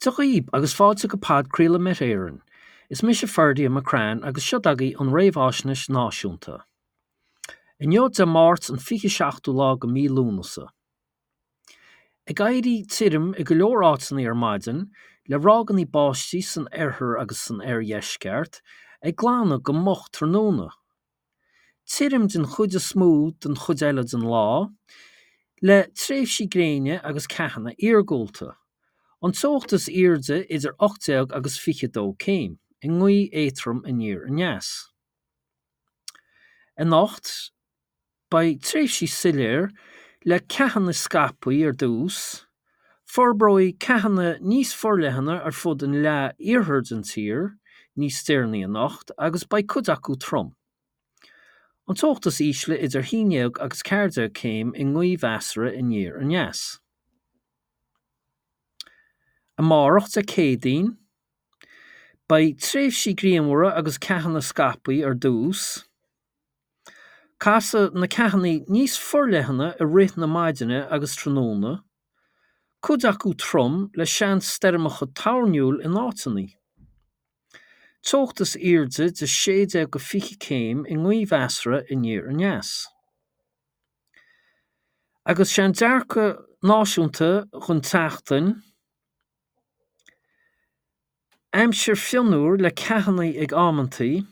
Dia dhaoib agus fáilte go podchraoladh Met Éireann. Is mise Ferdia McCrann agus seo agaibh an réamháisnéis náisiúnta. Inniu Dé Máirt an 27ú lá go mí Lúnasa. Ag éirí tirim i go leor áiteanna ar maidin, le ráigeanna báistí san oirthear agus san oirdheisceart, ag glanadh go moch tráthnóna. Tirim den chuid is mó den chuid eile den lá, le tréimhsí gréine agus ceathanna iargúlta. An teocht is airde idir 18 agus 22 céim, i ngaoth éadrom aniar aneas. Anocht. Beidh tréimhsí soiléir le ceathanna scaipthe ar dtús, forbróidh ceathanna níos forleithne ar fud an leath iarthair den tír níos deireanaí anocht agus beidh cuid acu trom. An teocht is ísle idir 11 agus 14 céim i ngaoth mheasartha aniar aneas. Amárach, Dé Céadaoin, beidh tréimhsí grianmhara agus ceathanna scaipthe ar dtús. Casfaidh na ceathanna níos forleithne i rith na maidine agus tráthnóna, cuid acu trom le seans stoirmeacha toirniúil in áiteanna. Teocht is airde de 16 go 20 céim i ngaoth mheasartha aniar aneas. Agus sé an dearcadh náisiúnta don tseachtain. Aimsir fionnuar le ceathanna ag amantaí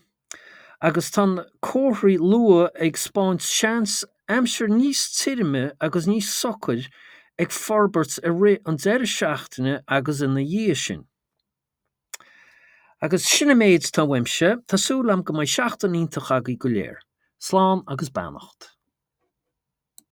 agus tá na comharthaí luath ag 'spáint seans aimsir níos tirime agus níos socair ag forbairt i rith an deireadh seachtaine agus ina dhiaidh sin. Agus sin an méid atá uaimse, tá súil agam go mbeidh seachtain iontach agaibh go léir. Slán agus beannacht.